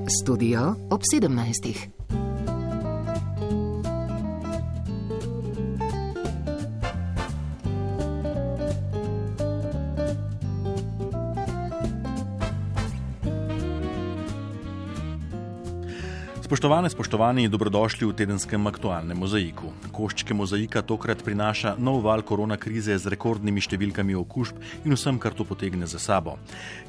Studio ob 17. Spoštovani, dobrodošli v tedenskem aktualnem mozaiku. Koščke mozaika tokrat prinaša nov val korona krize z rekordnimi številkami okužb in vsem, kar to potegne za sabo.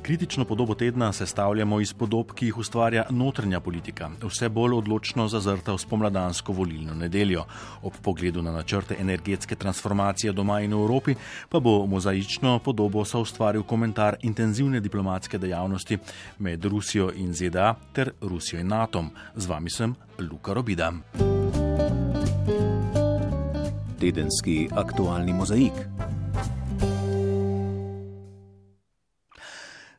Kritično podobo tedna sestavljamo iz podob, ki jih ustvarja notranja politika, vse bolj odločno zazrta v spomladansko volilno nedeljo. Ob pogledu na načrte energetske transformacije doma in v Evropi pa bo mozaično podobo soustvaril komentar intenzivne diplomatske dejavnosti med Rusijo in ZDA ter Rusijo in NATO-om. Z vami sem Luka Robida. Tedenski aktualni mozaik.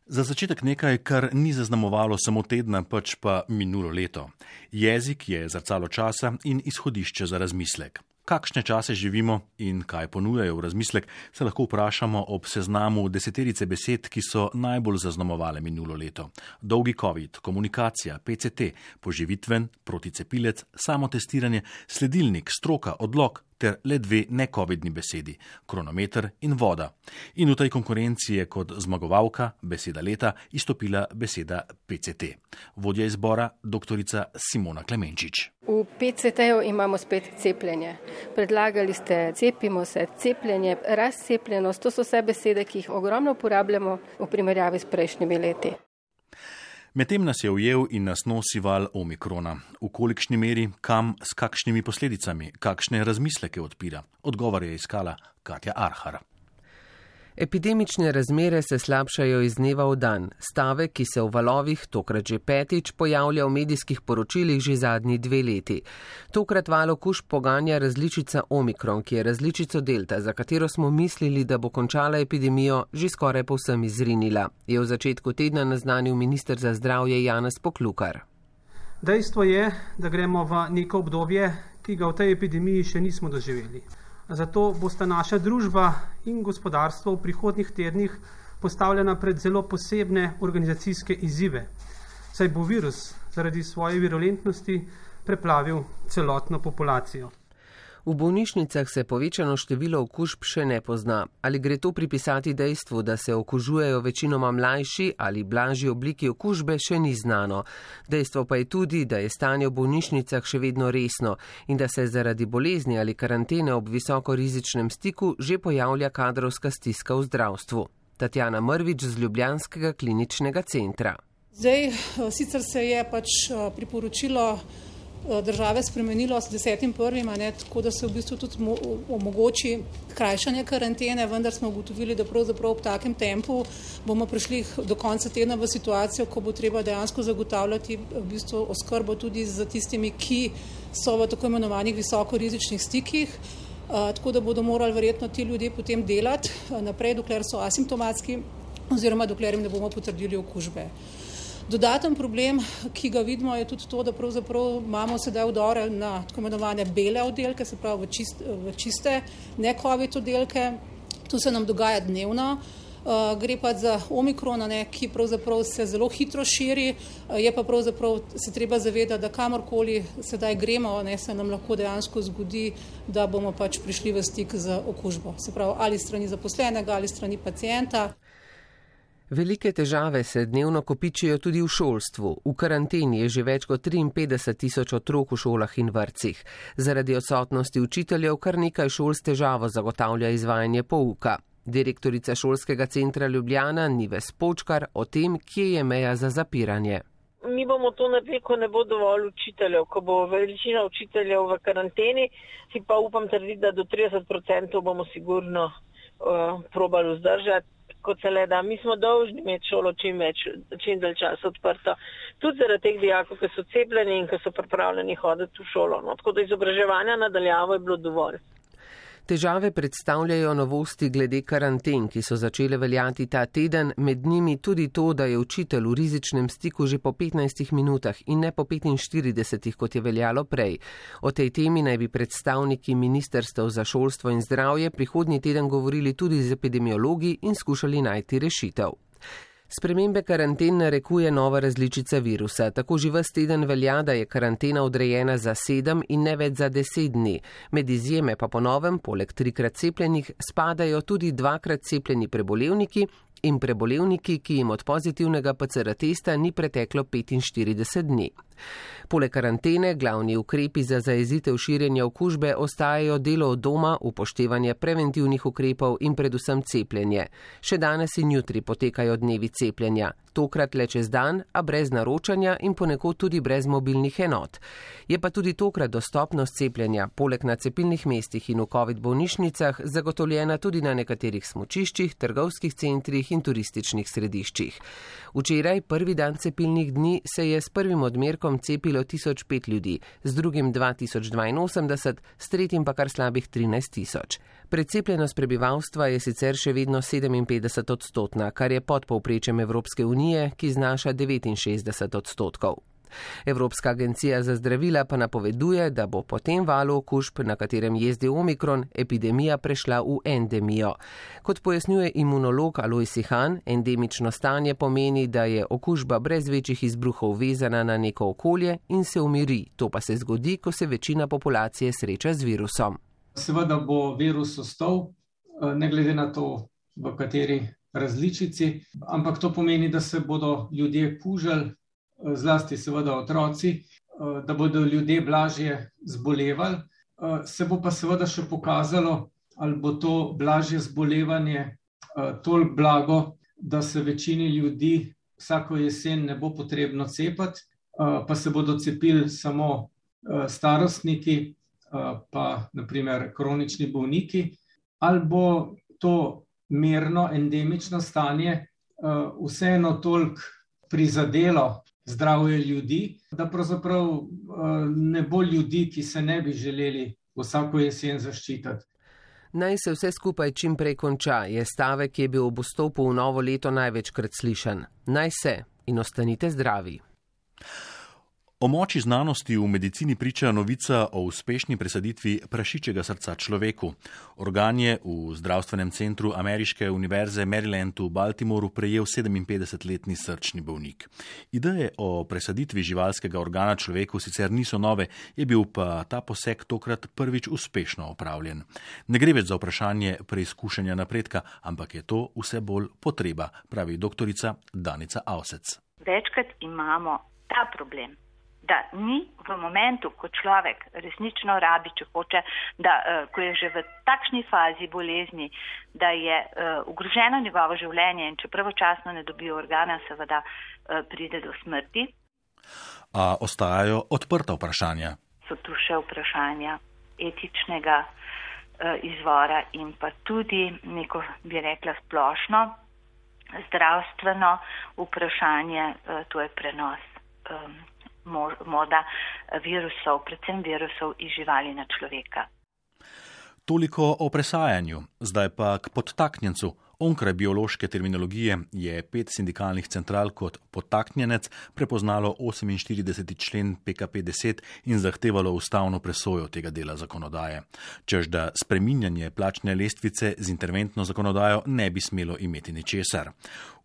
Za začetek nekaj, kar ni zaznamovalo samo tedna, pač pa minulo leto. Jezik je zrcalo časa in izhodišče za razmislek. Kakšne čase živimo in kaj ponujajo v razmislek, se lahko vprašamo ob seznamu deseterice besed, ki so najbolj zaznamovale minulo leto. Dolgi COVID, komunikacija, PCT, poživitven, proticepilec, samotestiranje, sledilnik, stroka, odlok ter le dve ne-covidni besedi, kronometer in voda. In v tej konkurenci je kot zmagovalka, beseda leta, izstopila beseda PCT. Vodja izbora, doktorica Simona Klemenčič. V PCT-ju imamo spet cepljenje. Predlagali ste cepimo se, cepljenje, razcepljenost, to so vse besede, ki jih ogromno uporabljamo v primerjavi s prejšnjimi leti. Medtem nas je ujel in nas nosi val omikrona. V kolikšni meri, kam, s kakšnimi posledicami, kakšne razmisleke odpira? Odgovor je iskala Katja Arhar. Epidemične razmere se slabšajo iz dneva v dan. Stavek, ki se v valovih, tokrat že petič, pojavlja v medijskih poročilih že zadnji 2 leti. Tokrat val okužb poganja različica omikron, ki je različico delta, za katero smo mislili, da bo končala epidemijo, že skoraj povsem izrinila, je v začetku tedna naznanil minister za zdravje Janez Poklukar. Dejstvo je, da gremo v neko obdobje, ki ga v tej epidemiji še nismo doživeli. Zato bosta naša družba in gospodarstvo v prihodnjih tednih postavljena pred zelo posebne organizacijske izzive, saj bo virus zaradi svoje virulentnosti preplavil celotno populacijo. V bolnišnicah se povečano število okužb še ne pozna. Ali gre to pripisati dejstvu, da se okužujejo večinoma mlajši ali blažji obliki okužbe, še ni znano. Dejstvo pa je tudi, da je stanje v bolnišnicah še vedno resno in da se zaradi bolezni ali karantene ob visokorizičnem stiku že pojavlja kadrovska stiska v zdravstvu. Tatjana Mrvič z Ljubljanskega kliničnega centra. Sicer se je priporočilo države spremenilo s 10.1., tako da se v bistvu tudi omogoči krajšanje karantene, vendar smo ugotovili, da pravzaprav ob takem tempu bomo prišli do konca tedna v situacijo, ko bo treba dejansko zagotavljati v bistvu oskrbo tudi z tistimi, ki so v tako imenovanih visokorizičnih stikih, tako da bodo morali verjetno ti ljudje potem delati naprej, dokler so asimptomatski oziroma dokler jim ne bomo potrdili okužbe. Dodaten problem, ki ga vidimo, je tudi to, da pravzaprav imamo sedaj vdore na tako imenovane bele oddelke, se pravi v čiste ne-covid oddelke. To se nam dogaja dnevno. Gre pa za omikrona, ki pravzaprav se zelo hitro širi, je pa pravzaprav se treba zavedati, da kamorkoli sedaj gremo, se nam lahko dejansko zgodi, da bomo prišli v stik z okužbo. Se pravi, ali strani zaposlenega ali strani pacienta. Velike težave se dnevno kopičijo tudi v šolstvu. V karanteni je že več kot 53.000 otrok v šolah in vrtcih. Zaradi odsotnosti učiteljev kar nekaj šol s težavo zagotavlja izvajanje pouka. Direktorica šolskega centra Ljubljana Nives Počkar o tem, kje je meja za zapiranje. Mi bomo to naredili, ko ne bo dovolj učiteljev, ko bo večina učiteljev v karanteni, si pa upam trditi, da do 30% bomo sigurno probali vzdržati. Kot se le da, mi smo dolžni imeti šolo čim dalj časa odprto. Tudi zaradi teh dijakov, ki so cepljeni in ki so pripravljeni hoditi v šolo. Tako da izobraževanja nadaljavo je bilo dovolj. Težave predstavljajo novosti glede karanten, ki so začele veljati ta teden, med njimi tudi to, da je učitelj v rizičnem stiku že po 15 minutah in ne po 45, kot je veljalo prej. O tej temi naj bi predstavniki ministrstev za šolstvo in zdravje prihodnji teden govorili tudi z epidemiologi in skušali najti rešitev. Spremembe karanten narekuje nova različica virusa. Tako že ves teden velja, da je karantena odrejena za 7 in ne več za 10 dni. Med izjeme pa po novem, poleg 3-krat cepljenih, spadajo tudi 2-krat cepljeni prebolevniki in prebolevniki, ki jim od pozitivnega PCR testa ni preteklo 45 dni. Poleg karantene glavni ukrepi za zajezitev širjenja okužbe ostajajo delo od doma, upoštevanje preventivnih ukrepov in predvsem cepljenje. Še danes in jutri potekajo dnevi cepljenja. Tokrat le čez dan, a brez naročanja in ponekod tudi brez mobilnih enot. Je pa tudi tokrat dostopnost cepljenja, poleg na cepilnih mestih in v COVID bolnišnicah, zagotovljena tudi na nekaterih smučiščih, trgovskih centrih in turističnih središčih. Včeraj, prvi dan cepilnih dni, se je s prvim odmerkom cepilo 1005 ljudi, z drugim 2082, s tretjim pa kar slabih 13 000. Precepljenost prebivalstva je sicer še vedno 57%, kar je pod povprečjem Evropske unije, ki znaša 69%. Evropska agencija za zdravila pa napoveduje, da bo po tem valu okužb, na katerem jezdi omikron, epidemija prešla v endemijo. Kot pojasnjuje imunolog Alojz Ihan, endemično stanje pomeni, da je okužba brez večjih izbruhov vezana na neko okolje in se umiri. To pa se zgodi, ko se večina populacije sreča z virusom. Seveda bo virus ostal, ne glede na to, v kateri različici, ampak to pomeni, da se bodo ljudje kužili, zlasti seveda otroci, da bodo ljudje blažje zbolevali. Se bo pa seveda še pokazalo, ali bo to blažje zbolevanje toliko blago, da se večini ljudi vsako jesen ne bo potrebno cepiti, pa se bodo cepili samo starostniki, pa naprimer kronični bolniki, ali bo to merno endemično stanje vseeno toliko prizadelo zdravje ljudi, da pravzaprav ne bo ljudi, ki se ne bi želeli vsako jesen zaščititi. Naj se vse skupaj čim prej konča, je stavek, ki je bil ob vstopu v novo leto največkrat slišan. Naj se in ostanite zdravi. O moči znanosti v medicini priča novica o uspešni presaditvi prašičjega srca človeku. Organ je v zdravstvenem centru Ameriške univerze Maryland v Baltimoru prejel 57-letni srčni bolnik. Ideje o presaditvi živalskega organa človeku sicer niso nove, je bil pa ta poseg tokrat prvič uspešno opravljen. Ne gre več za vprašanje preizkušanja napredka, ampak je to vse bolj potreba, pravi doktorica Danica Avsec. Večkrat imamo ta problem, da ni v momentu, ko človek resnično rabi, če hoče, da ko je že v takšni fazi bolezni, da je ogroženo njegovo življenje in če pravočasno ne dobi organa, seveda pride do smrti. A ostajajo odprta vprašanja. So tu še vprašanja etičnega izvora in pa tudi neko, bi rekla, splošno zdravstveno vprašanje, to je prenos morda virusov, predvsem virusov iz živali na človeka. Toliko o presajanju, zdaj pa k podtaknjencu. Onkraj biološke terminologije je 5 sindikalnih central kot podtaknjenec prepoznalo 48. člen PKP10 in zahtevalo ustavno presojo tega dela zakonodaje. Čež da spreminjanje plačne lestvice z interventno zakonodajo ne bi smelo imeti ničesar.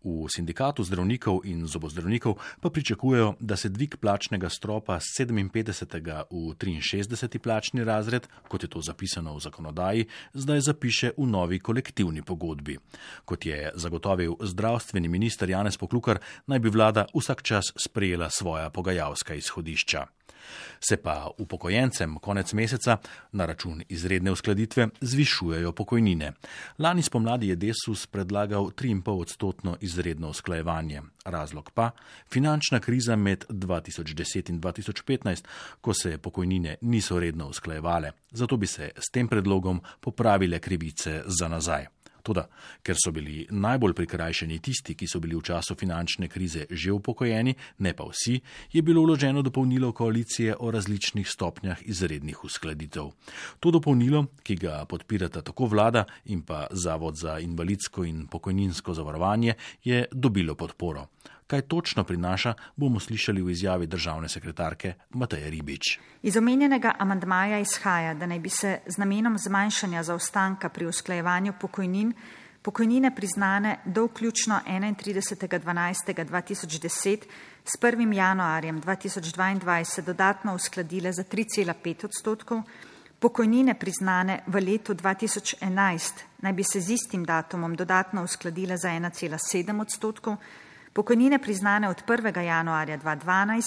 V sindikatu zdravnikov in zobozdravnikov pa pričakujejo, da se dvig plačnega stropa z 57. v 63. plačni razred, kot je to zapisano v zakonodaji, zdaj zapiše v novi kolektivni pogodbi. Kot je zagotovil zdravstveni minister Janez Poklukar, naj bi vlada vsak čas sprejela svoja pogajalska izhodišča. Se pa upokojencem konec meseca na račun izredne uskladitve zvišujejo pokojnine. Lani spomladi je Desus predlagal 3,5% izredno usklajevanje. Razlog pa finančna kriza med 2010 in 2015, ko se pokojnine niso redno usklajevale. Zato bi se s tem predlogom popravile krivice za nazaj. Toda, ker so bili najbolj prikrajšani tisti, ki so bili v času finančne krize že upokojeni, ne pa vsi, je bilo vloženo dopolnilo koalicije o različnih stopnjah izrednih uskladitev. To dopolnilo, ki ga podpirata tako vlada in pa Zavod za invalidsko in pokojninsko zavarovanje, je dobilo podporo. Kaj točno prinaša, bomo slišali v izjavi državne sekretarke Mateje Ribič. Iz omenjenega amandmaja izhaja, da naj bi se z namenom zmanjšanja zaostanka pri usklajevanju pokojnin pokojnine priznane do vključno 31.12.2010 s 1. januarjem 2022 dodatno uskladile za 3,5%, pokojnine priznane v letu 2011 naj bi se z istim datumom dodatno uskladile za 1,7%, pokojnine priznane od 1. januarja 2012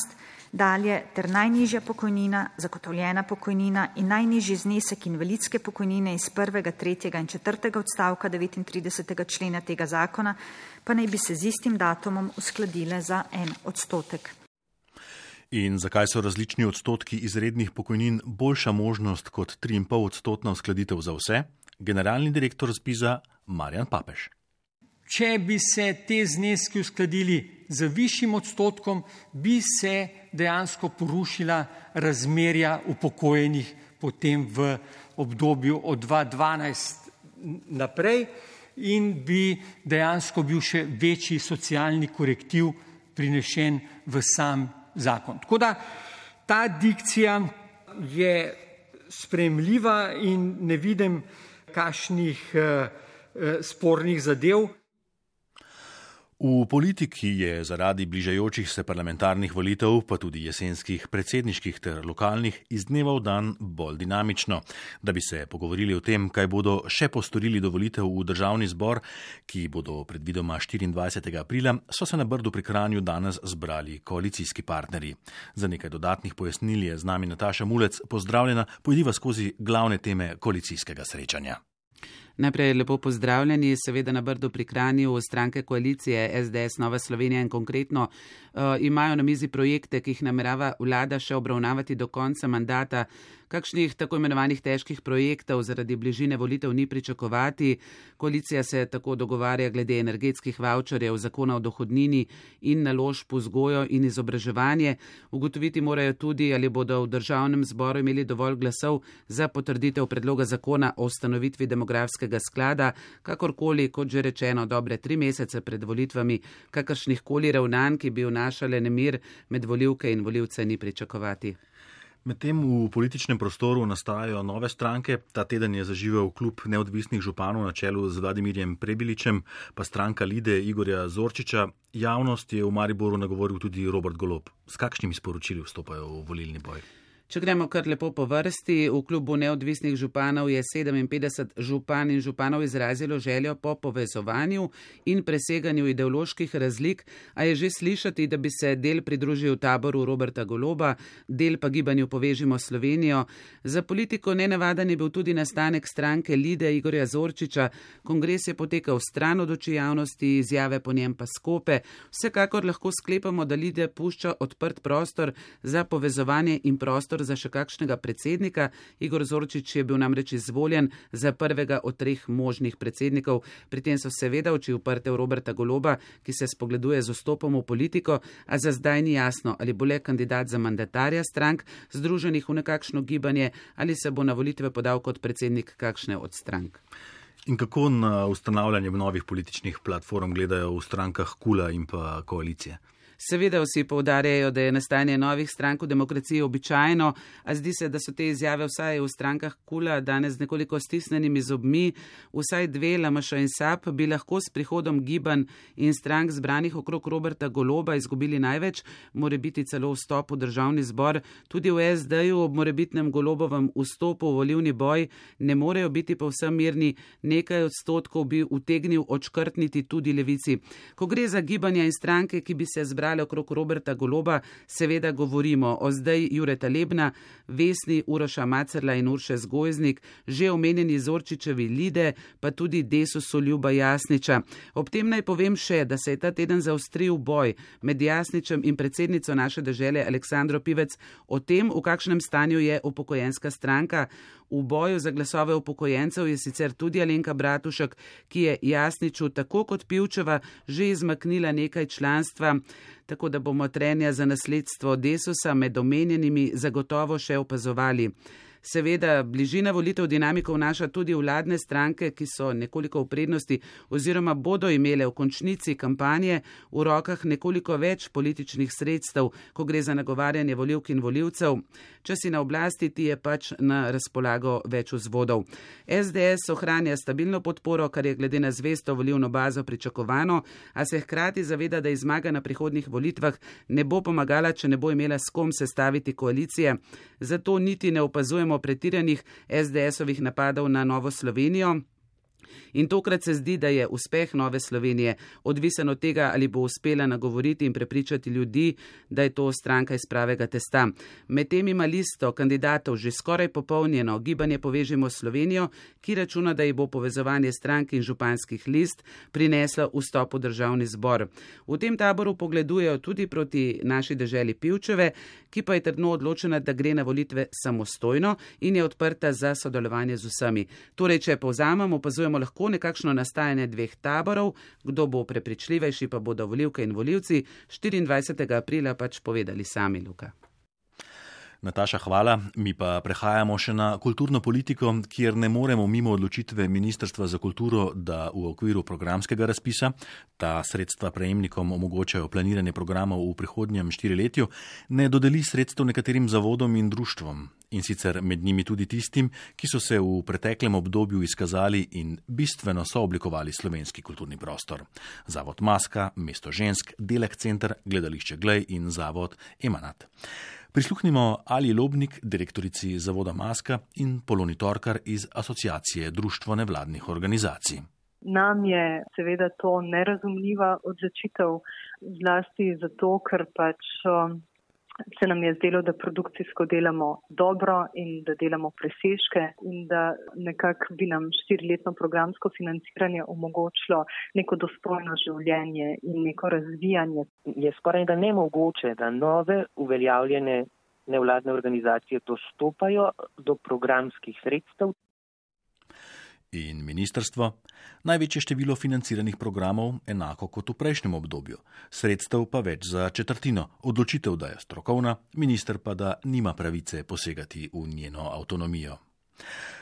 dalje ter najnižja pokojnina, zagotovljena pokojnina in najnižji znesek invalidske pokojnine iz 1., 3. in 4. odstavka 39. člena tega zakona pa naj bi se z istim datumom uskladile za 1%. In zakaj so različni odstotki izrednih pokojnin boljša možnost kot 3,5% uskladitev za vse? Generalni direktor ZPIZ-a Marjan Papež. Če bi se te zneski uskladili z višjim odstotkom, bi se dejansko porušila razmerja upokojenih potem v obdobju od 2012 naprej in bi dejansko bil še večji socialni korektiv prinešen v sam zakon. Tako da ta dikcija je sprejemljiva in ne vidim kakšnih spornih zadev. V politiki je zaradi bližajočih se parlamentarnih volitev, pa tudi jesenskih predsedniških ter lokalnih, iz dneva v dan bolj dinamično. Da bi se pogovorili o tem, kaj bodo še postorili do volitev v državni zbor, ki bodo predvidoma 24. aprila, so se na Brdu pri Kranju danes zbrali koalicijski partnerji. Za nekaj dodatnih pojasnil je z nami Nataša Mulec. Pozdravljena, pojdiva skozi glavne teme koalicijskega srečanja. Najprej lepo pozdravljeni, seveda na Brdu pri Kranju stranke koalicije SDS, Nova Slovenija in konkretno imajo na mizi projekte, ki jih namerava vlada še obravnavati do konca mandata. Kakšnih tako imenovanih težkih projektov zaradi bližine volitev ni pričakovati. Koalicija se tako dogovarja glede energetskih vavčerjev, zakona o dohodnini in naložb v vzgojo in izobraževanje. Ugotoviti morajo tudi, ali bodo v državnem zboru imeli dovolj glasov za potrditev predloga zakona o ustanovitvi demografskega sklada, kakorkoli, kot že rečeno, dobre 3 mesece pred volitvami, kakršnih koli ravnanj, ki bi vnašale nemir med volivke in volivce, ni pričakovati. Medtem v političnem prostoru nastajajo nove stranke. Ta teden je zaživel klub neodvisnih županov na čelu z Vladimirjem Prebiličem, pa stranka Lide Igorja Zorčiča. Javnost je v Mariboru nagovoril tudi Robert Golob. S kakšnimi sporočili vstopajo v volilni boj? Če gremo kar lepo po vrsti, v klubu neodvisnih županov je 57 župan in županov izrazilo željo po povezovanju in preseganju ideoloških razlik, a je že slišati, da bi se del pridružil taboru Roberta Goloba, del pa gibanju Povežimo Slovenijo. Za politiko nenavaden je bil tudi nastanek stranke Lide Igorja Zorčiča. Kongres je potekal stran od oči javnosti, izjave po njem pa skope. Vsekakor lahko sklepamo, da Lide pušča odprt prostor za povezovanje in prostor za še kakšnega predsednika. Igor Zorčič je bil namreč izvoljen za prvega od 3 možnih predsednikov. Pri tem so seveda oči uprte v Roberta Goloba, ki se spogleduje z vstopom v politiko, a za zdaj ni jasno, ali bo le kandidat za mandatarja strank, združenih v nekakšno gibanje, ali se bo na volitve podal kot predsednik kakšne od strank. In kako na ustanavljanje novih političnih platform gledajo v strankah KUL-a in pa koalicije? Seveda vsi poudarjajo, da je nastajanje novih strank v demokraciji običajno, a zdi se, da so te izjave vsaj v strankah KUL-a danes z nekoliko stisnenimi zobmi. Vsaj 2, LMŠ in SAB, bi lahko s prihodom gibanj in strank zbranih okrog Roberta Goloba izgubili največ, morebiti celo vstop v državni zbor. Tudi v SD-ju ob morebitnem Golobovem vstopu v volilni boj ne morejo biti povsem mirni, nekaj odstotkov bi utegnil odškrtniti tudi Levici. Ko gre za gibanja in stranke, ki bi se zbrali okrog Roberta Goloba, seveda govorimo o zdaj Jureta Lebna, Vesni, Uroša Macerla in Urše Zgojznik, že omenjeni Zorčičevi Lide, pa tudi Desusu Ljuba Jasniča. Ob tem naj povem še, da se je ta teden zaostril boj med Jasničem in predsednico naše dežele Aleksandro Pivec o tem, v kakšnem stanju je upokojenska stranka. V boju za glasove upokojencev je sicer tudi Alenka Bratušek, ki je Jasniču tako kot Pivčeva že izmaknila nekaj članstva, tako da bomo trenja za nasledstvo Desusa med omenjenimi zagotovo še opazovali. Seveda, bližina volitev dinamiko vnaša tudi vladne stranke, ki so nekoliko v prednosti oziroma bodo imele v končnici kampanje v rokah nekoliko več političnih sredstev, ko gre za nagovarjanje volivk in volivcev. Če si na oblasti, ti je pač na razpolago več vzvodov. SDS ohranja stabilno podporo, kar je glede na zvesto volilno bazo pričakovano, a se hkrati zaveda, da zmaga na prihodnjih volitvah ne bo pomagala, če ne bo imela s kom sestaviti koalicije. Zato niti ne opazujemo pretiranih SDS-ovih napadov na Novo Slovenijo. In tokrat se zdi, da je uspeh Nove Slovenije odvisen od tega, ali bo uspela nagovoriti in prepričati ljudi, da je to stranka iz pravega testa. Medtem ima listo kandidatov že skoraj popolnjeno Gibanje Povežimo Slovenijo, ki računa, da ji bo povezovanje strank in županskih list prineslo vstop v državni zbor. V tem taboru pogledujejo tudi proti naši deželi Pivčeve, ki pa je trdno odločena, da gre na volitve samostojno in je odprta za sodelovanje z vsemi. Torej, če povzamem, opazujemo lahko nekakšno nastajanje dveh taborov, kdo bo prepričljivejši, pa bodo volivke in volivci 24. aprila pač povedali sami, Luka. Nataša, hvala. Mi pa prehajamo še na kulturno politiko, kjer ne moremo mimo odločitve Ministrstva za kulturo, da v okviru programskega razpisa, ta sredstva prejemnikom omogočajo planiranje programov v prihodnjem 4-letju, ne dodeli sredstev nekaterim zavodom in društvom. In sicer med njimi tudi tistim, ki so se v preteklem obdobju izkazali in bistveno sooblikovali slovenski kulturni prostor. Zavod Maska, Mesto žensk, Delek center, Gledališče Glej in Zavod Emanat. Prisluhnimo Ali Lobnik, direktorici Zavoda Maska, in Poloni Torkar iz Asociacije društvo nevladnih organizacij. Nam je seveda to nerazumljiva odločitev, zlasti zato, ker pač se nam je zdelo, da produkcijsko delamo dobro in da delamo presežke in da nekako bi nam 4-letno programsko financiranje omogočilo neko dostojno življenje in neko razvijanje. Je skoraj da nemogoče, da nove uveljavljene nevladne organizacije dostopajo do programskih sredstev. In ministrstvo? Največje število financiranih programov, enako kot v prejšnjem obdobju. Sredstev pa več za četrtino. Odločitev, da je strokovna, minister pa da nima pravice posegati v njeno avtonomijo.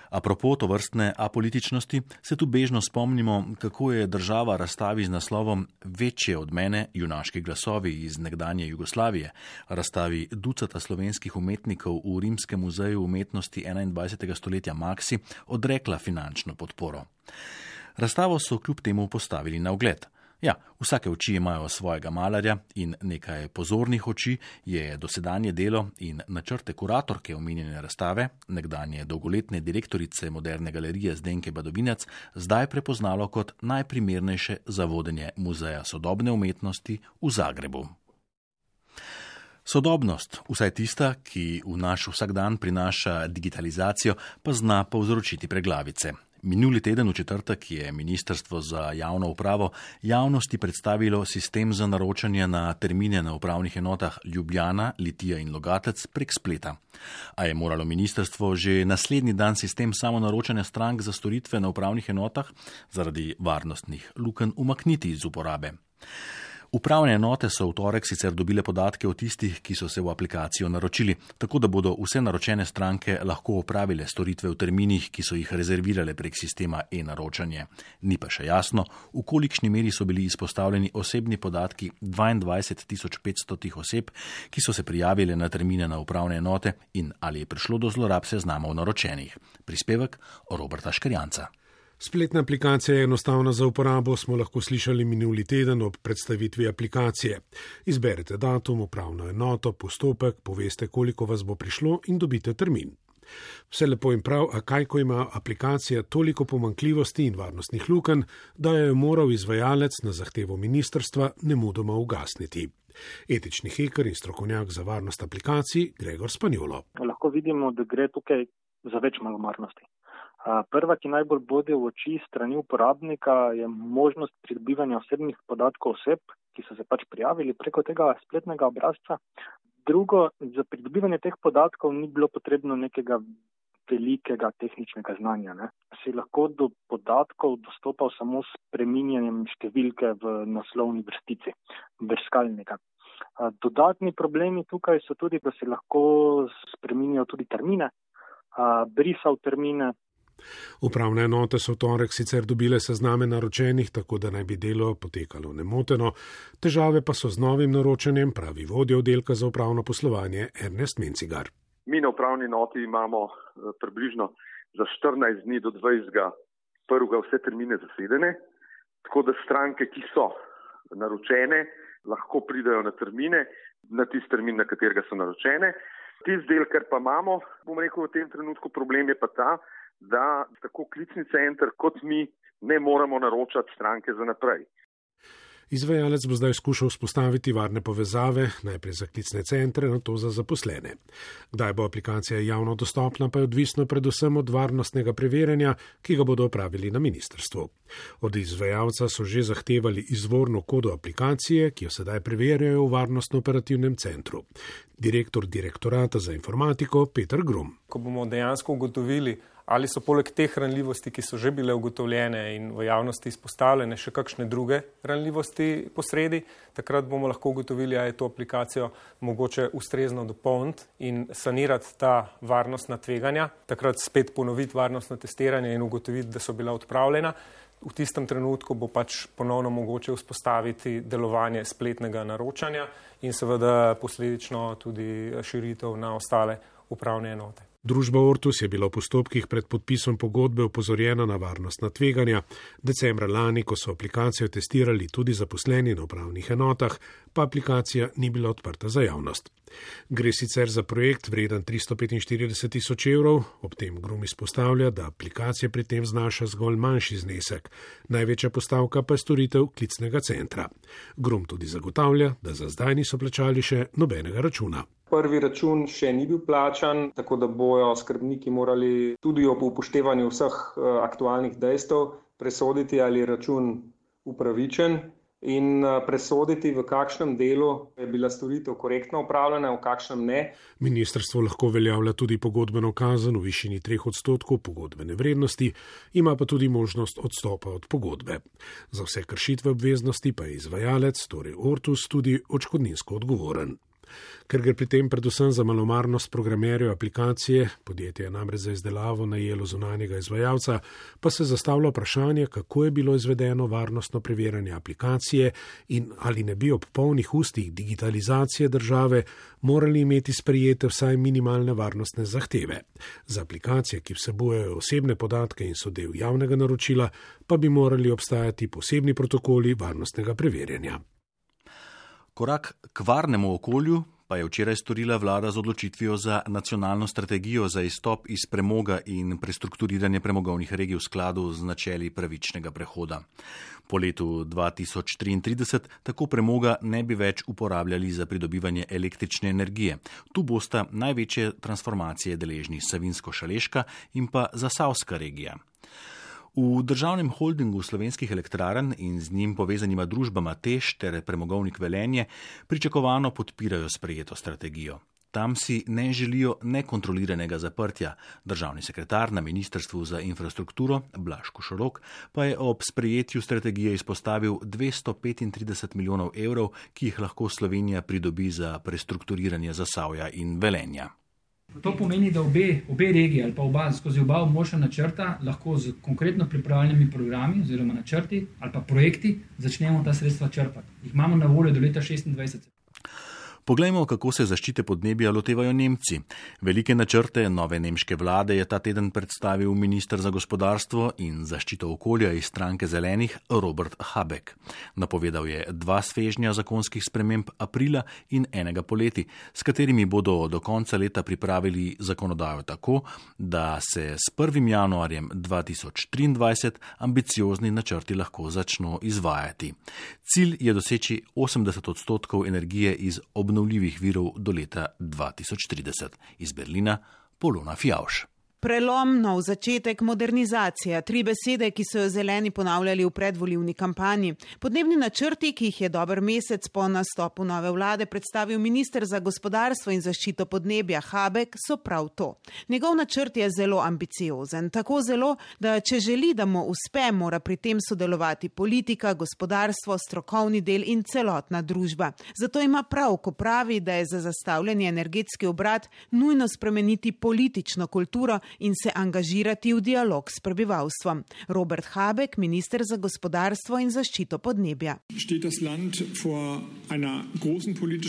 Apropo tovrstne apolitičnosti se tu bežno spomnimo, kako je država razstavi z naslovom Večje od mene, junaški glasovi iz nekdanje Jugoslavije, razstavi ducata slovenskih umetnikov v Rimskem muzeju umetnosti 21. stoletja Maxi, odrekla finančno podporo. Razstavo so kljub temu postavili na ogled. Ja, vsake oči imajo svojega malarja in nekaj pozornih oči je dosedanje delo in načrte kuratorke omenjene razstave, nekdanje dolgoletne direktorice Moderne galerije Zdenke Badovinac, zdaj prepoznalo kot najprimernejše za vodenje Muzeja sodobne umetnosti v Zagrebu. Sodobnost, vsaj tista, ki v naš vsakdan prinaša digitalizacijo, pa zna povzročiti preglavice. Minuli teden v četrtek je Ministrstvo za javno upravo javnosti predstavilo sistem za naročanje na termine na upravnih enotah Ljubljana, Litija in Logatec prek spleta. A je moralo ministrstvo že naslednji dan sistem samonaročanja strank za storitve na upravnih enotah zaradi varnostnih lukenj umakniti iz uporabe. Upravne enote so v torek sicer dobile podatke o tistih, ki so se v aplikacijo naročili, tako da bodo vse naročene stranke lahko opravile storitve v terminih, ki so jih rezervirale prek sistema e-naročanje. Ni pa še jasno, v kolikšni meri so bili izpostavljeni osebni podatki 22.500 oseb, ki so se prijavile na termine na upravne enote in ali je prišlo do zlorab seznamov naročenih. Prispevek Roberta Škrjanca. Spletna aplikacija je enostavna za uporabo, smo lahko slišali minuli teden ob predstavitvi aplikacije. Izberete datum, upravno enoto, postopek, poveste, koliko vas bo prišlo in dobite termin. Vse lepo in prav, a kaj, ko ima aplikacija toliko pomanjkljivosti in varnostnih lukenj, da jo je moral izvajalec na zahtevo ministrstva nemudoma ugasniti. Etični heker in strokovnjak za varnost aplikacij Gregor Spanjolo. Lahko vidimo, da gre tukaj za več malomarnosti. Prva, ki najbolj bode v oči strani uporabnika, je možnost pridobivanja osebnih podatkov oseb, ki so se pač prijavili preko tega spletnega obrazca. Drugo, za pridobivanje teh podatkov ni bilo potrebno nekega velikega tehničnega znanja. Si lahko do podatkov dostopal samo s spreminjanjem številke v naslovni vrstici brskalnika. Dodatni problemi tukaj so tudi, da se lahko spreminjajo tudi termine. brisal termine. Upravne enote so v torek sicer dobile sezname naročenih, tako da naj bi delo potekalo nemoteno. Težave pa so z novim naročanjem, pravi vodja oddelka za upravno poslovanje Ernest Mencigar. Mi na upravni enoti imamo približno za 14 dni do 20. prvega vse termine zasedene, tako da stranke, ki so naročene, lahko pridajo na termine, na tisti termin, na katerega so naročene. Tisti del, kar pa imamo, bom rekel, v tem trenutku problem je pa ta, da tako klicni center kot mi ne moramo naročati stranke za naprej. Izvajalec bo zdaj skušal vzpostaviti varne povezave, najprej za klicne centre, nato za zaposlene. Kdaj bo aplikacija javno dostopna, pa je odvisno predvsem od varnostnega preverjanja, ki ga bodo opravili na ministrstvu. Od izvajalca so že zahtevali izvorno kodo aplikacije, ki jo sedaj preverjajo v varnostno-operativnem centru. Direktor direktorata za informatiko Peter Grum. Ko bomo dejansko ugotovili, ali so poleg teh ranljivosti, ki so že bile ugotovljene in v javnosti izpostavljene, še kakšne druge ranljivosti posredi, takrat bomo lahko ugotovili, ali je to aplikacijo mogoče ustrezno dopolniti in sanirati ta varnostna tveganja, takrat spet ponoviti varnostno testiranje in ugotoviti, da so bila odpravljena. V tistem trenutku bo pač ponovno mogoče vzpostaviti delovanje spletnega naročanja in seveda posledično tudi širitev na ostale upravne enote. Družba Ortus je bila v postopkih pred podpisom pogodbe opozorjena na varnostna tveganja. Decembra lani, ko so aplikacijo testirali tudi zaposleni na upravnih enotah, pa aplikacija ni bila odprta za javnost. Gre sicer za projekt vreden 345 tisoč evrov, ob tem Grum izpostavlja, da aplikacija pri tem znaša zgolj manjši znesek. Največja postavka pa je storitev klicnega centra. Grum tudi zagotavlja, da za zdaj niso plačali še nobenega računa. Prvi račun še ni bil plačan, tako da bojo skrbniki morali tudi ob upoštevanju vseh aktualnih dejstev presoditi, ali je račun upravičen in presoditi, v kakšnem delu je bila storitev korektno opravljena, v kakšnem ne. Ministrstvo lahko uveljavlja tudi pogodbeno kazen v višini 3% pogodbene vrednosti, ima pa tudi možnost odstopa od pogodbe. Za vse kršitve obveznosti pa je izvajalec, torej Ortus, tudi odškodninsko odgovoren. Ker gre pri tem predvsem za malomarnost programerjev aplikacije, podjetje je namreč za izdelavo najelo zunanjega izvajalca, pa se zastavlja vprašanje, kako je bilo izvedeno varnostno preverjanje aplikacije in ali ne bi ob polnih ustih digitalizacije države morali imeti sprejete vsaj minimalne varnostne zahteve. Za aplikacije, ki vsebujejo osebne podatke in so del javnega naročila, pa bi morali obstajati posebni protokoli varnostnega preverjanja. Korak k varnemu okolju pa je včeraj storila vlada z odločitvijo za nacionalno strategijo za izstop iz premoga in prestrukturiranje premogovnih regij v skladu z načeli pravičnega prehoda. Po letu 2033 tako premoga ne bi več uporabljali za pridobivanje električne energije. Tu bosta največje transformacije deležni Savinjsko-Šaleška in pa Zasavska regija. V državnem holdingu slovenskih elektrarn in z njim povezanima družbama TEŠ ter Premogovnik Velenje pričakovano podpirajo sprejeto strategijo. Tam si ne želijo nekontroliranega zaprtja. Državni sekretar na Ministrstvu za infrastrukturo Blaž Košorok pa je ob sprejetju strategije izpostavil 235 milijonov evrov, ki jih lahko Slovenija pridobi za prestrukturiranje Zasavja in Velenja. To pomeni, da obe regije ali pa skozi oba območja načrta lahko z konkretno pripravljenimi programi oziroma načrti ali pa projekti začnemo ta sredstva črpati. Jih imamo na voljo do leta 2026. Poglejmo, kako se zaščite podnebja lotevajo Nemci. Velike načrte nove nemške vlade je ta teden predstavil minister za gospodarstvo in zaščito okolja iz stranke Zelenih Robert Habeck. Napovedal je 2 svežnja zakonskih sprememb aprila in enega poleti, s katerimi bodo do konca leta pripravili zakonodajo tako, da se s 1. januarjem 2023 ambiciozni načrti lahko začno izvajati. Cilj je doseči 80% energije iz obnovljivih virov do leta 2030. Iz Berlina Polona Fjauš. Prelom, nov začetek, modernizacija, 3 besede, ki so jo zeleni ponavljali v predvolilni kampanji. Podnebni načrti, ki jih je dober mesec po nastopu nove vlade predstavil minister za gospodarstvo in zaščito podnebja Habek, so prav to. Njegov načrt je zelo ambiciozen, tako zelo, da če želi, da mu uspe, mora pri tem sodelovati politika, gospodarstvo, strokovni del in celotna družba. Zato ima prav, ko pravi, da je za zastavljeni energetski obrat nujno spremeniti politično kulturo in se angažirati v dialog s prebivalstvom. Robert Habek, minister za gospodarstvo in zaščito podnebja.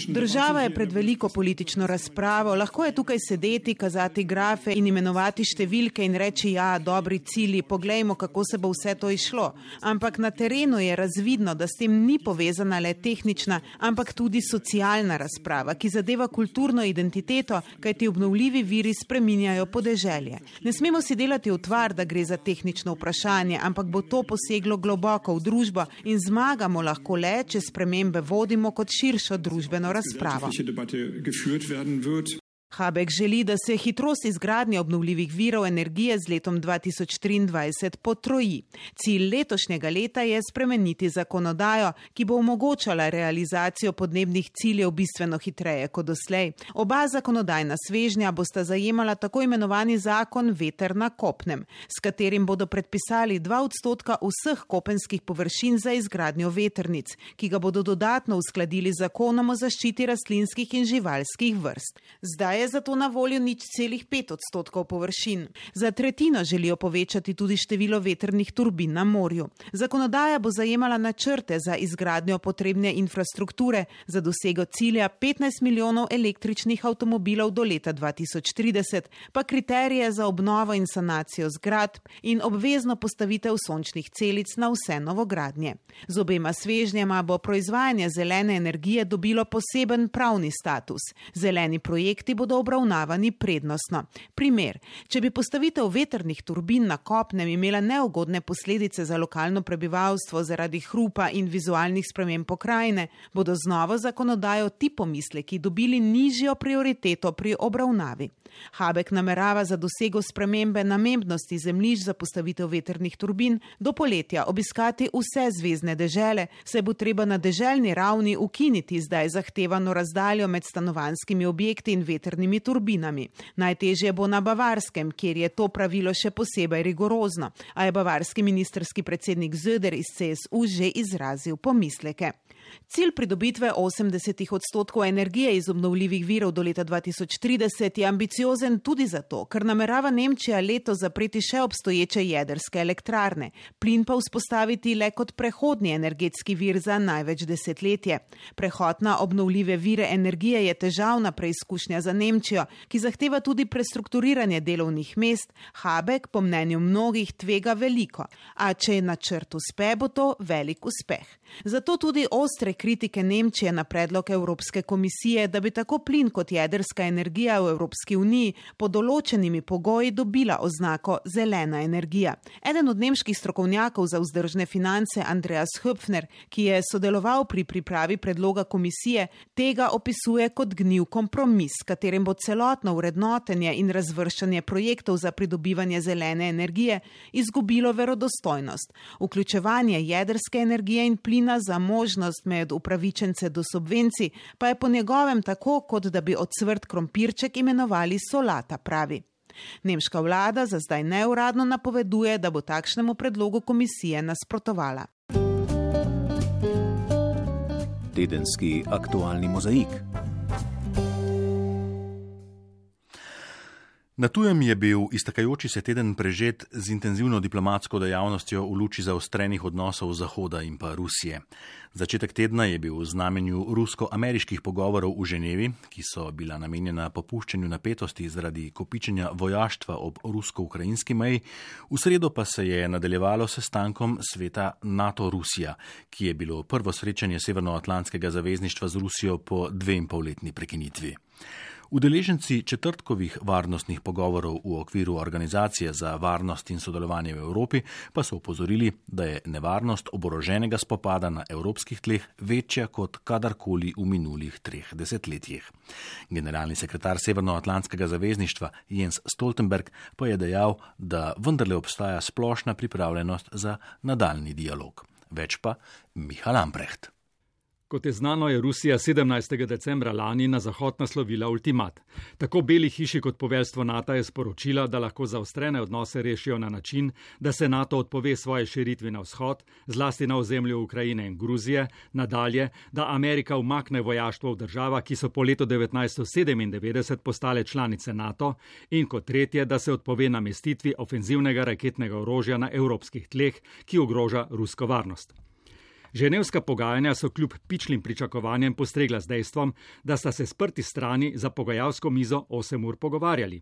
Država je pred veliko politično razpravo, lahko je tukaj sedeti, kazati grafe in imenovati številke in reči, ja, dobri cilji, poglejmo, kako se bo vse to išlo. Ampak na terenu je razvidno, da s tem ni povezana le tehnična, ampak tudi socialna razprava, ki zadeva kulturno identiteto, kajti obnovljivi viri spreminjajo podeželje. Ne smemo si delati utvar, da gre za tehnično vprašanje, ampak bo to poseglo globoko v družbo in zmagamo lahko le, če spremembe vodimo kot širšo družbeno razpravo. Habek želi, da se hitrost izgradnje obnovljivih virov energije z letom 2023 potroji. Cilj letošnjega leta je spremeniti zakonodajo, ki bo omogočala realizacijo podnebnih ciljev bistveno hitreje kot doslej. Oba zakonodajna svežnja bosta zajemala tako imenovani zakon veter na kopnem, s katerim bodo predpisali 2% vseh kopenskih površin za izgradnjo vetrnic, ki ga bodo dodatno uskladili z zakonom o zaščiti rastlinskih in živalskih vrst. Zdaj je zato na voljo 0,5% površin. Za tretjino želijo povečati tudi število vetrnih turbin na morju. Zakonodaja bo zajemala načrte za izgradnjo potrebne infrastrukture za dosego cilja 15 milijonov električnih avtomobilov do leta 2030, pa kriterije za obnovo in sanacijo zgradb in obvezno postavitev sončnih celic na vse novogradnje. Z obema svežnjama bo proizvajanje zelene energije dobilo poseben pravni status. Zeleni projekti bodo obravnavani prednostno. Primer, če bi postavitev vetrnih turbin na kopnem imela neugodne posledice za lokalno prebivalstvo zaradi hrupa in vizualnih sprememb pokrajine, bodo z novo zakonodajo ti pomisleki dobili nižjo prioriteto pri obravnavi. Habek namerava za dosego spremembe namembnosti zemljišč za postavitev vetrnih turbin do poletja obiskati vse zvezne dežele, saj bo treba na deželni ravni ukiniti zdaj zahtevano razdaljo med stanovanjskimi objekti in veternimi turbinami. Najtežje bo na Bavarskem, kjer je to pravilo še posebej rigorozno, a je bavarski ministerski predsednik Söder iz CSU že izrazil pomisleke. Cilj pridobitve 80% energije iz obnovljivih virov do leta 2030 je ambiciozen tudi zato, ker namerava Nemčija letos zapreti še obstoječe jedrske elektrarne, plin pa vzpostaviti le kot prehodni energetski vir za največ desetletje. Prehod na obnovljive vire energije je težavna preizkušnja za Nemčijo, ki zahteva tudi prestrukturiranje delovnih mest. Habek po mnenju mnogih tvega veliko, a če je načrt uspe, bo to velik uspeh. Zato tudi ostre kritike Nemčije na predlog Evropske komisije, da bi tako plin kot jedrska energija v Evropski uniji pod določenimi pogoji dobila oznako zelena energija. Eden od nemških strokovnjakov za vzdržne finance, Andreas Höpfner, ki je sodeloval pri pripravi predloga komisije, tega opisuje kot gnil kompromis, s katerim bo celotno vrednotenje in razvrščanje projektov za pridobivanje zelene energije izgubilo verodostojnost. Vključevanje jedrske energije in plina za možnost med upravičence do subvencij pa je po njegovem tako, kot da bi ocvrt krompirček imenovali solata, pravi. Nemška vlada za zdaj neuradno napoveduje, da bo takšnemu predlogu komisije nasprotovala. Tedenski aktualni mozaik. Na tujem je bil iztekajoči se teden prežet z intenzivno diplomatsko dejavnostjo v luči zaostrenih odnosov Zahoda in pa Rusije. Začetek tedna je bil v znamenju rusko-ameriških pogovorov v Ženevi, ki so bila namenjena popuščanju napetosti zaradi kopičenja vojaštva ob rusko-ukrajinski meji, v sredo pa se je nadaljevalo sestankom sveta NATO-Rusija, ki je bilo prvo srečanje Severnoatlantskega zavezništva z Rusijo po 2,5-letni prekinitvi. Udeleženci četrtkovih varnostnih pogovorov v okviru Organizacije za varnost in sodelovanje v Evropi pa so opozorili, da je nevarnost oboroženega spopada na evropskih tleh večja kot kadarkoli v minulih 3 desetletjih. Generalni sekretar Severnoatlantskega zavezništva Jens Stoltenberg pa je dejal, da vendarle obstaja splošna pripravljenost za nadaljni dialog. Več pa Michal Ambrecht. Kot je znano, je Rusija 17. decembra lani na Zahod naslovila ultimat. Tako Beli hiši kot poveljstvo NATO je sporočila, da lahko zaostrene odnose rešijo na način, da se NATO odpove svoje širitvi na vzhod, zlasti na ozemlju Ukrajine in Gruzije, nadalje, da Amerika umakne vojaštvo v državah, ki so po letu 1997 postale članice NATO, in kot tretje, da se odpove namestitvi ofenzivnega raketnega orožja na evropskih tleh, ki ogroža rusko varnost. Ženevska pogajanja so kljub pičlim pričakovanjem postregla z dejstvom, da sta se sprti strani za pogajalsko mizo 8 ur pogovarjali.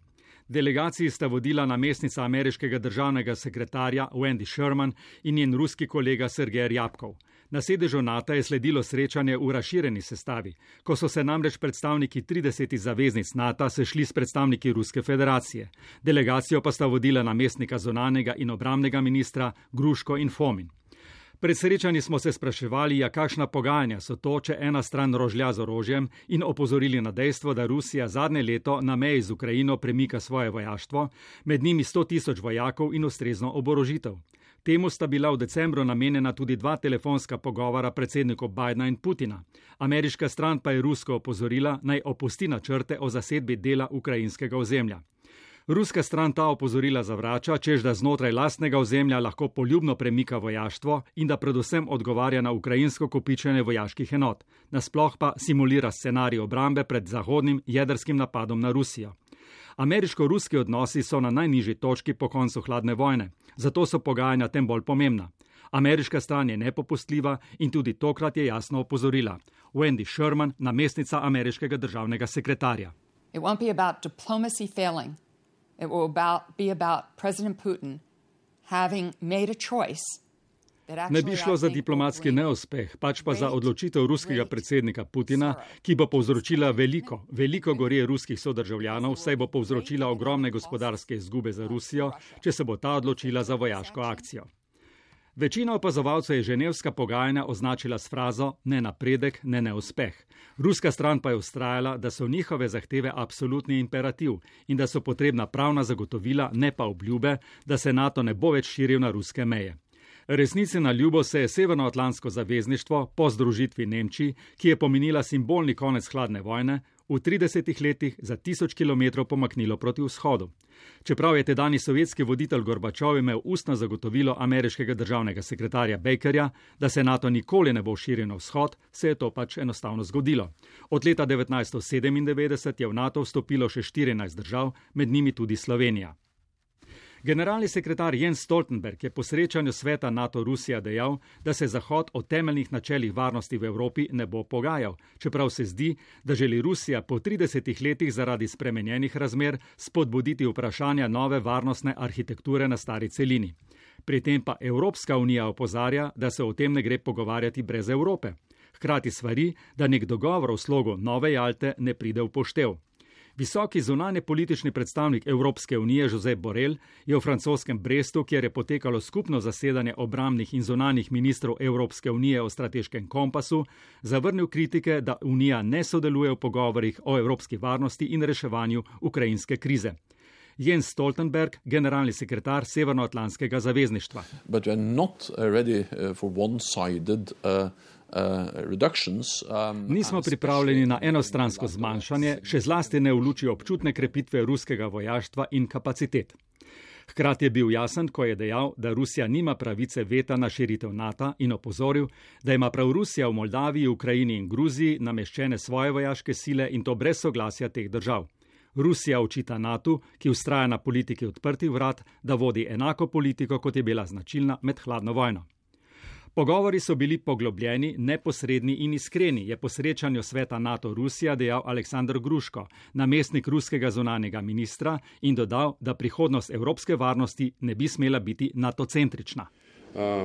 Delegaciji sta vodila namestnica ameriškega državnega sekretarja Wendy Sherman in njen ruski kolega Sergej Ryabkov. Na sedežu NATO je sledilo srečanje v razširjeni sestavi, ko so se namreč predstavniki 30 zaveznic NATO sešli s predstavniki Ruske federacije. Delegacijo pa sta vodila namestnika zunanjega in obrambnega ministra Gruško in Fomin. Pred srečanji smo se spraševali, kakšna pogajanja so to, če ena stran rožlja z orožjem, in opozorili na dejstvo, da Rusija zadnje leto na meji z Ukrajino premika svoje vojaštvo, med njimi 100.000 vojakov in ustrezno oborožitev. Temu sta bila v decembru namenjena tudi 2 telefonska pogovora predsednikov Bidna in Putina. Ameriška stran pa je Rusko opozorila, naj opusti načrte o zasedbi dela ukrajinskega ozemlja. Ruska stran ta opozorila zavrača, čež da znotraj lastnega ozemlja lahko poljubno premika vojaštvo in da predvsem odgovarja na ukrajinsko kopičenje vojaških enot. Nasploh pa simulira scenarij obrambe pred zahodnim jedrskim napadom na Rusijo. Ameriško-ruski odnosi so na najnižji točki po koncu hladne vojne, zato so pogajanja tem bolj pomembna. Ameriška stran je nepopustljiva in tudi tokrat je jasno opozorila. Wendy Sherman, namestnica ameriškega državnega sekretarja. It won't be about diplomacy failing. It will be about President Putin having made a choice. Ne bi šlo za diplomatski neuspeh, pač pa za odločitev ruskega predsednika Putina, ki bo povzročila veliko gorje ruskih sodržavljanov, saj bo povzročila ogromne gospodarske izgube za Rusijo, če se bo ta odločila za vojaško akcijo. Večina opazovalcev je ženevska pogajanja označila s frazo ne napredek, ne neuspeh. Ruska stran pa je vztrajala, da so njihove zahteve absolutni imperativ in da so potrebna pravna zagotovila, ne pa obljube, da se NATO ne bo več širil na ruske meje. Resnici na ljubo se je Severnoatlantsko zavezništvo po združitvi Nemčiji, ki je pomenila simbolni konec hladne vojne, v 30 letih za 1000 km pomaknilo proti vzhodu. Čeprav je tedajni sovjetski voditelj Gorbačov imel ustno zagotovilo ameriškega državnega sekretarja Bakerja, da se NATO nikoli ne bo širil na vzhod, se je to pač enostavno zgodilo. Od leta 1997 je v NATO vstopilo še 14 držav, med njimi tudi Slovenija. Generalni sekretar Jens Stoltenberg je po srečanju sveta NATO-Rusija dejal, da se Zahod o temeljnih načelih varnosti v Evropi ne bo pogajal, čeprav se zdi, da želi Rusija po 30 letih zaradi spremenjenih razmer spodbuditi vprašanja nove varnostne arhitekture na stari celini. Pri tem pa Evropska unija opozarja, da se o tem ne gre pogovarjati brez Evrope. Hkrati svari, da nek dogovor v slogu nove Jalte ne pride v poštev. Visoki zunanje politični predstavnik Evropske unije Josep Borrell je v francoskem Brestu, kjer je potekalo skupno zasedanje obrambnih in zunanjih ministrov Evropske unije o strateškem kompasu, zavrnil kritike, da Unija ne sodeluje v pogovorih o evropski varnosti in reševanju ukrajinske krize. Jens Stoltenberg, generalni sekretar Severnoatlantskega zavezništva. Nismo pripravljeni na enostransko zmanjšanje, še zlasti ne v luči občutne krepitve ruskega vojaštva in kapacitet. Hkrati je bil jasen, ko je dejal, da Rusija nima pravice veta na širitev NATO in opozoril, da ima prav Rusija v Moldaviji, Ukrajini in Gruziji nameščene svoje vojaške sile in to brez soglasja teh držav. Rusija očita NATO, ki vztraja na politiki odprtih vrat, da vodi enako politiko, kot je bila značilna med hladno vojno. Pogovori so bili poglobljeni, neposredni in iskreni, je po srečanju sveta NATO-Rusija dejal Aleksandr Gruško, namestnik ruskega zunanjega ministra, in dodal, da prihodnost evropske varnosti ne bi smela biti NATO-centrična.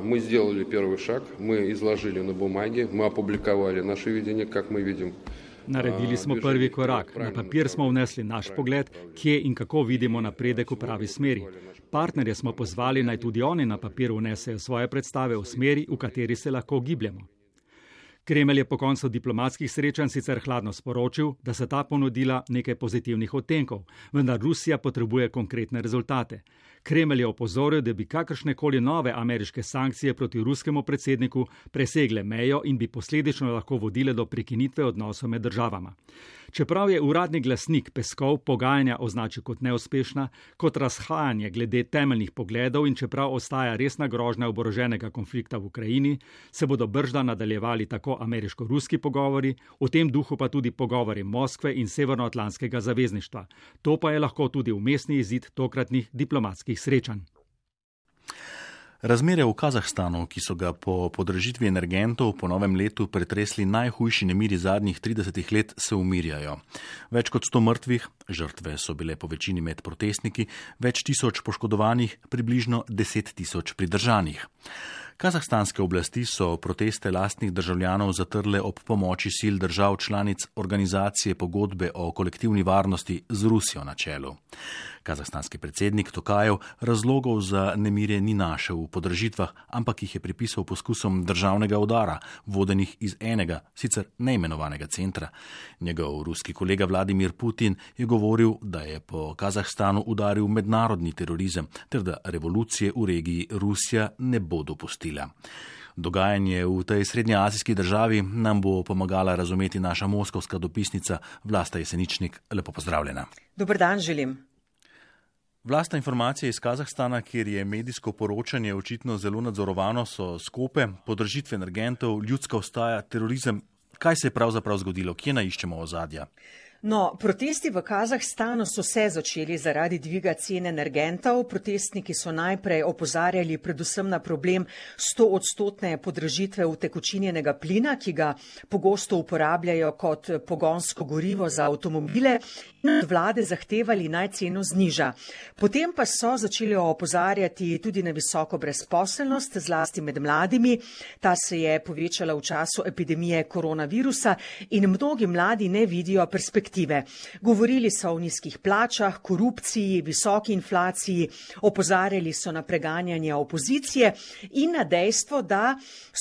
Мы сделали первый шаг, мы изложили на бумаге, мы опубликовали наше видение, как мы видим Naredili smo prvi korak. Na papir smo vnesli naš pogled, kje in kako vidimo napredek v pravi smeri. Partnerje smo pozvali, naj tudi oni na papir vnesejo svoje predstave o smeri, v kateri se lahko gibljemo. Kremelj je po koncu diplomatskih srečanj sicer hladno sporočil, da se ta ponudila nekaj pozitivnih odtenkov, vendar Rusija potrebuje konkretne rezultate. Kremelj je opozoril, da bi kakršnekoli nove ameriške sankcije proti ruskemu predsedniku presegle mejo in bi posledično lahko vodile do prekinitve odnosov med državama. Čeprav je uradni glasnik Peskov pogajanja označil kot neuspešna, kot razhajanje glede temeljnih pogledov in čeprav ostaja resna grožnja oboroženega konflikta v Ukrajini, se bodo bržda nadaljevali tako ameriško-ruski pogovori, v tem duhu pa tudi pogovori Moskve in Severnoatlantskega zavezništva. To pa je lahko tudi umestni izid tokratnih diplomatskih srečanj. Razmere v Kazahstanu, ki so ga po podražitvi energentov po novem letu pretresli najhujši nemiri zadnjih 30 let, se umirjajo. Več kot 100 mrtvih, žrtve so bile po večini med protestniki, več tisoč poškodovanih, približno 10 000 pridržanih. Kazahstanske oblasti so proteste lastnih državljanov zatrle ob pomoči sil držav članic organizacije pogodbe o kolektivni varnosti z Rusijo na čelu. Kazahstanski predsednik Tokajev razlogov za nemire ni našel v podražitvah, ampak jih je pripisal poskusom državnega udara, vodenih iz enega, sicer neimenovanega centra. Njegov ruski kolega Vladimir Putin je govoril, da je po Kazahstanu udaril mednarodni terorizem, ter da revolucije v regiji Rusija ne bo dopustila. Dogajanje v tej srednjeazijski državi nam bo pomagala razumeti naša moskovska dopisnica Vlasta Jeseničnik. Lepo pozdravljena. Dober dan želim. Vlasta informacije iz Kazahstana, kjer je medijsko poročanje očitno zelo nadzorovano, so skope, podražitve energentov, ljudska vstaja, terorizem. Kaj se je pravzaprav zgodilo? Kje naiščemo ozadja? No, protesti v Kazahstanu so se začeli zaradi dviga cen energentov. Protestniki so najprej opozarjali predvsem na problem 100% podražitve utekočinjenega plina, ki ga pogosto uporabljajo kot pogonsko gorivo za avtomobile, in od vlade zahtevali naj ceno zniža. Potem pa so začeli opozarjati tudi na visoko brezposelnost, zlasti med mladimi. Ta se je povečala v času epidemije koronavirusa in mnogi mladi ne vidijo perspektive. Govorili so o nizkih plačah, korupciji, visoki inflaciji, opozarjali so na preganjanje opozicije in na dejstvo, da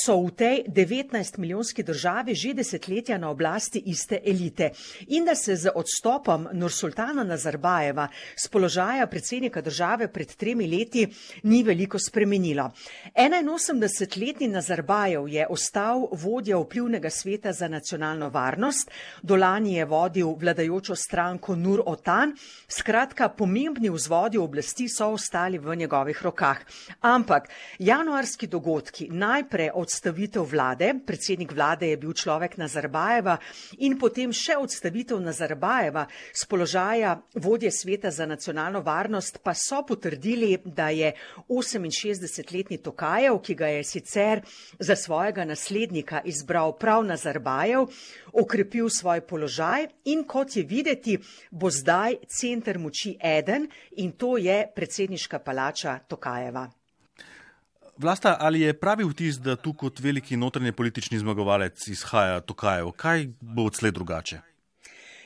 so v tej 19-milijonski državi že desetletja na oblasti iste elite in da se z odstopom Nursultana Nazarbajeva z položaja predsednika države pred 3 leti ni veliko spremenilo. 81-letni Nazarbajev je ostal vodja vplivnega sveta za nacionalno varnost, dolani je vodil vladajočo stranko Nur Otan, skratka pomembni vzvodi oblasti so ostali v njegovih rokah. Ampak januarski dogodki, najprej odstavitev vlade, predsednik vlade je bil človek Nazarbajeva in potem še odstavitev Nazarbajeva z položaja vodje sveta za nacionalno varnost, pa so potrdili, da je 68-letni Tokajev, ki ga je sicer za svojega naslednika izbral prav Nazarbajev, okrepil svoj položaj in kot je videti, bo zdaj center moči eden in to je predsedniška palača Tokajeva. Vlasta, ali je pravi vtis, da tu kot veliki notranje politični zmagovalec izhaja Tokajev? Kaj bo odslej drugače?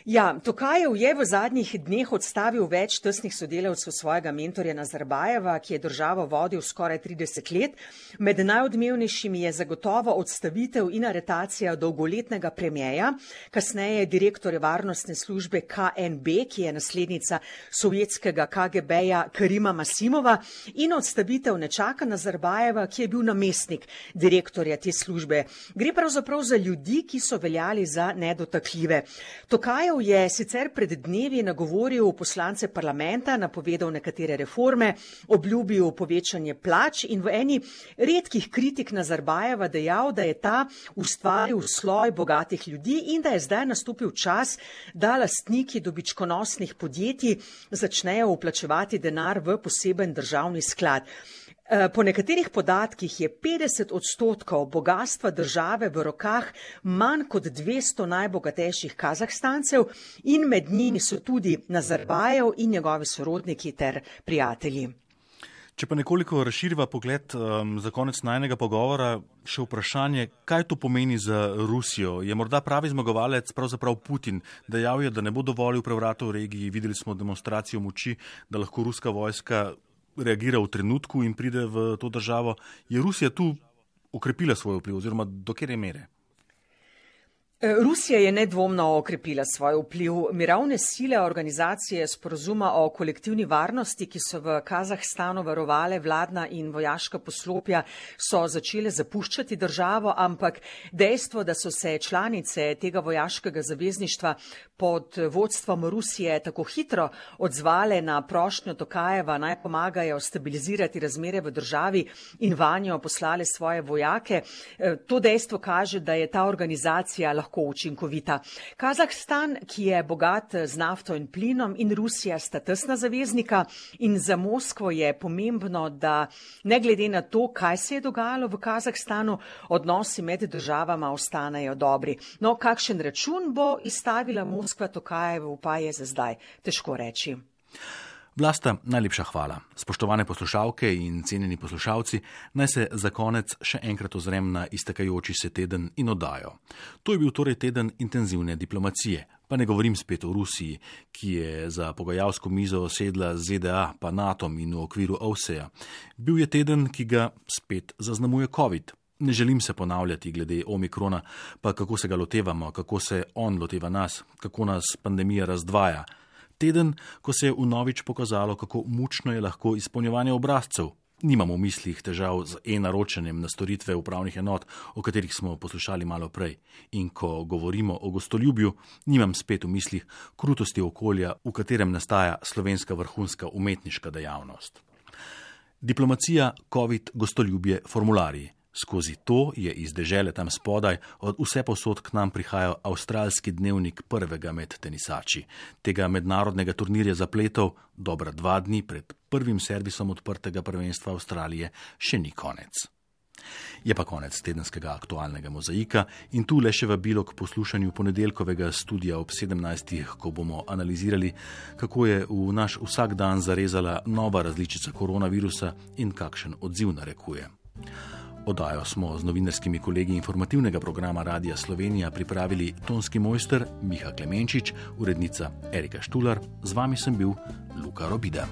Ja, Tokajev je v zadnjih dneh odstavil več tesnih sodelavcev svojega mentorja Nazarbajeva, ki je državo vodil skoraj 30 let. Med najodmevnejšimi je zagotovo odstavitev in aretacija dolgoletnega premierja, kasneje direktorja varnostne službe KNB, ki je naslednica sovjetskega KGB-ja Karima Masimova, in odstavitev nečaka Nazarbajeva, ki je bil namestnik direktorja te službe. Gre pravzaprav za ljudi, ki so veljali za nedotakljive. Tokajev je sicer pred dnevi nagovoril poslance parlamenta, napovedal nekatere reforme, obljubil povečanje plač in v eni redkih kritik Nazarbajeva dejal, da je ta ustvaril sloj bogatih ljudi in da je zdaj nastopil čas, da lastniki dobičkonosnih podjetij začnejo vplačevati denar v poseben državni sklad. Po nekaterih podatkih je 50% bogatstva države v rokah manj kot 200 najbogatejših Kazahstancev in med njimi so tudi Nazarbajev in njegovi sorodniki ter prijatelji. Če pa nekoliko razširiva pogled za konec najnega pogovora, še vprašanje, kaj to pomeni za Rusijo? Je morda pravi zmagovalec pravzaprav Putin? Dejal je, da ne bo dovolil prevratov v regiji, videli smo demonstracijo moči, da lahko ruska vojska reagira v trenutku in pride v to državo. Je Rusija tu okrepila svoj vpliv oziroma do katere mere? Rusija je nedvomno okrepila svoj vpliv. Mirovne sile organizacije sporozuma o kolektivni varnosti, ki so v Kazahstanu varovale vladna in vojaška poslopja, so začele zapuščati državo, ampak dejstvo, da so se članice tega vojaškega zavezništva pod vodstvom Rusije tako hitro odzvale na prošnjo Tokajeva, naj pomagajo stabilizirati razmere v državi in vanjo poslale svoje vojake, to dejstvo kaže, da je ta organizacija lahko učinkovita. Kazahstan, ki je bogat z nafto in plinom, in Rusija sta tesna zaveznika in za Moskvo je pomembno, da ne glede na to, kaj se je dogajalo v Kazahstanu, odnosi med državama ostanejo dobri. No, kakšen račun bo izstavila Moskva Tokajevu, pa je za zdaj težko reči. Vlasta, najlepša hvala. Spoštovane poslušalke in cenjeni poslušalci, naj se za konec še enkrat ozrem na iztekajoči se teden in oddajo. To je bil torej teden intenzivne diplomacije. Pa ne govorim spet o Rusiji, ki je za pogajalsko mizo sedla z ZDA pa NATO-om in v okviru OVSE-ja. Bil je teden, ki ga spet zaznamuje COVID. Ne želim se ponavljati glede omikrona, pa kako se ga lotevamo, kako se on loteva nas, kako nas pandemija razdvaja. Teden, ko se je vnovič pokazalo, kako mučno je lahko izpolnjevanje obrazcev. Nimamo v mislih težav z e-naročanjem na storitve upravnih enot, o katerih smo poslušali malo prej. In ko govorimo o gostoljubju, nimam spet v mislih krutosti okolja, v katerem nastaja slovenska vrhunska umetniška dejavnost. Diplomacija, COVID, gostoljubje, formularji. Skozi to je iz dežele tam spodaj od vse posod k nam prihajal avstralski dnevnik prvega med tenisači. Tega mednarodnega turnirja zapletov dobra 2 dni pred prvim servisom odprtega prvenstva Avstralije še ni konec. Je pa konec tedenskega aktualnega mozaika in tu le še vabilo k poslušanju ponedeljkovega studija ob 17. ko bomo analizirali, kako je v naš vsak dan zarezala nova različica koronavirusa in kakšen odziv narekuje. Oddajo smo z novinarskimi kolegi informativnega programa Radia Slovenija pripravili tonski mojster Miha Klemenčič, urednica Erika Štular, z vami sem bil Luka Robida.